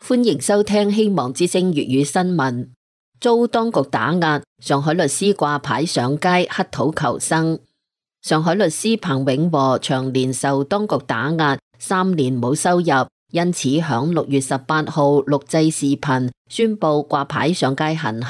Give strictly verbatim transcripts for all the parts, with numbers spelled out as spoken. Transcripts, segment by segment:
歡迎收聽希望之聲粵語新聞。遭當局打壓，上海律師掛牌上街乞討求生。上海律師彭永和長年受當局打壓，三年冇收入，因此響六月十八號錄製視頻，宣布掛牌上街行乞。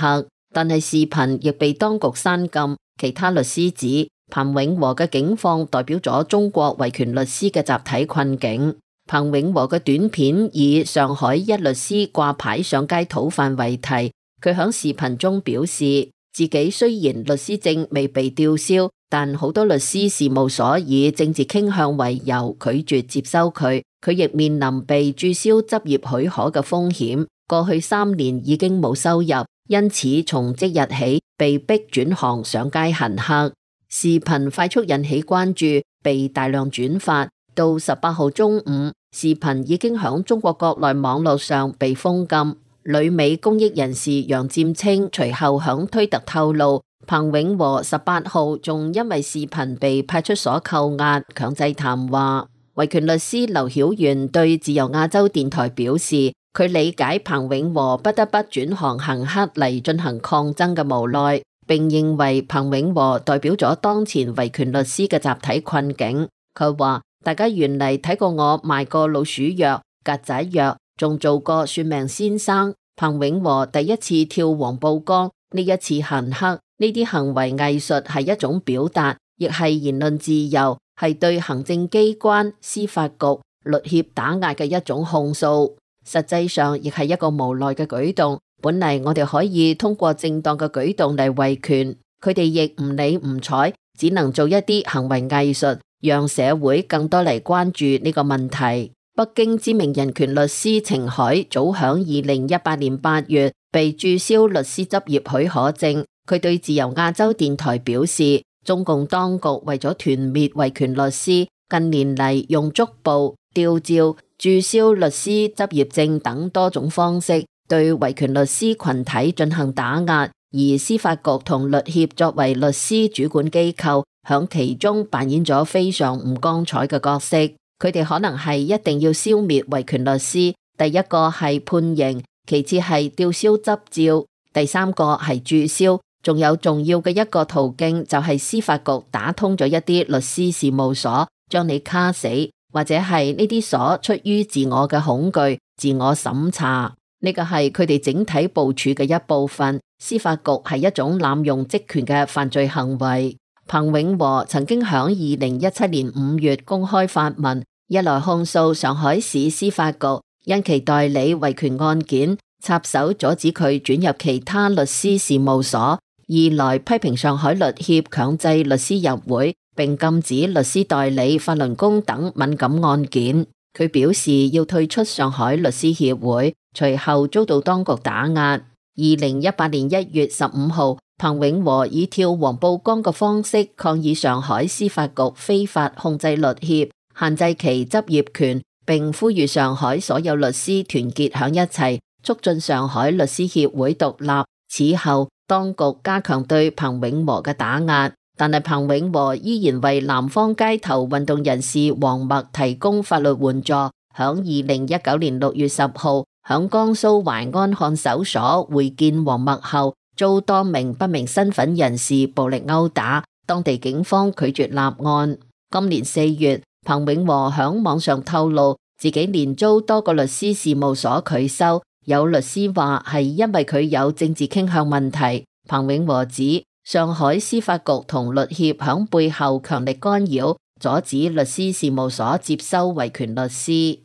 但係視頻亦被當局刪禁。其他律師指，彭永和嘅境況代表咗中國維權律師嘅集體困境。彭永和嘅短片以上海一律師掛牌上街討飯為題，佢響視頻中表示，自己雖然律師證未被吊銷，但好多律師事務所以政治傾向為由拒絕接收佢，佢亦面臨被註銷執業許可嘅風險。過去三年已經冇收入，因此從即日起被逼轉行上街行乞。視頻快速引起關注，被大量轉發。到十八號中午，視頻已經響中國國內網絡上被封禁。旅美公益人士楊占清隨後響推特透露，彭永和十八號仲因為視頻被派出所扣押，強制談話。維權律師劉曉元對自由亞洲電台表示，佢理解彭永和不得不轉行行乞嚟進行抗爭嘅無奈，並認為彭永和代表咗當前維權律師嘅集體困境。佢話，大家原嚟睇過我賣過老鼠藥、曱甴藥，仲做過算命先生。彭永和第一次跳黃浦江，呢一次行乞，呢啲行為藝術係一種表達，亦係言論自由，係對行政機關、司法局、律協打壓嘅一種控訴。實際上亦係一個無奈嘅舉動。本嚟我哋可以通過正當嘅舉動嚟維權，佢哋亦唔理唔睬，只能做一啲行為藝術，讓社會更多嚟關注呢個問題。北京知名人權律師程海早響二零一八年八月被註銷律師執業許可證。佢對自由亞洲電台表示，中共當局為咗團滅維權律師，近年嚟用捉捕、吊照、註銷律師執業證等多種方式對維權律師群體進行打壓，而司法局同律協作為律師主管機構，響其中扮演咗非常唔光彩嘅角色。佢哋可能係一定要消滅維權律師，第一個係判刑，其次係吊銷執照，第三個係註銷，仲有重要嘅一個途徑就係司法局打通咗一啲律師事務所，將你卡死，或者係呢啲所出於自我嘅恐懼，自我審查，呢個係佢哋整體部署嘅一部分。司法局係一種濫用職權嘅犯罪行為。彭永和曾經響二零一七年五月公開發文，一來控訴上海市司法局因其代理維權案件插手阻止佢轉入其他律師事務所；二來批評上海律協強制律師入會，並禁止律師代理法輪功等敏感案件。佢表示要退出上海律師協會，隨後遭到當局打壓。二零一八年一月十五號，彭永和以跳黃浦江嘅方式抗議上海司法局非法控制律協，限制其執業權，並呼籲上海所有律師團結響一齊，促進上海律師協會獨立。此後，當局加強對彭永和嘅打壓，但係彭永和依然為南方街頭運動人士黃默提供法律援助。響二零一九年六月十號，響江蘇淮安看守所會見黃默後，遭多名不明身份人士暴力毆打，當地警方拒絕立案。今年四月，彭永和響網上透露自己連遭多個律師事務所拒收，有律師話係因為佢有政治傾向問題。彭永和指上海司法局同律協響背後強力干擾，阻止律師事務所接收維權律師。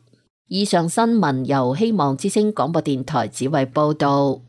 以上新聞由希望之聲廣播電台指為報道。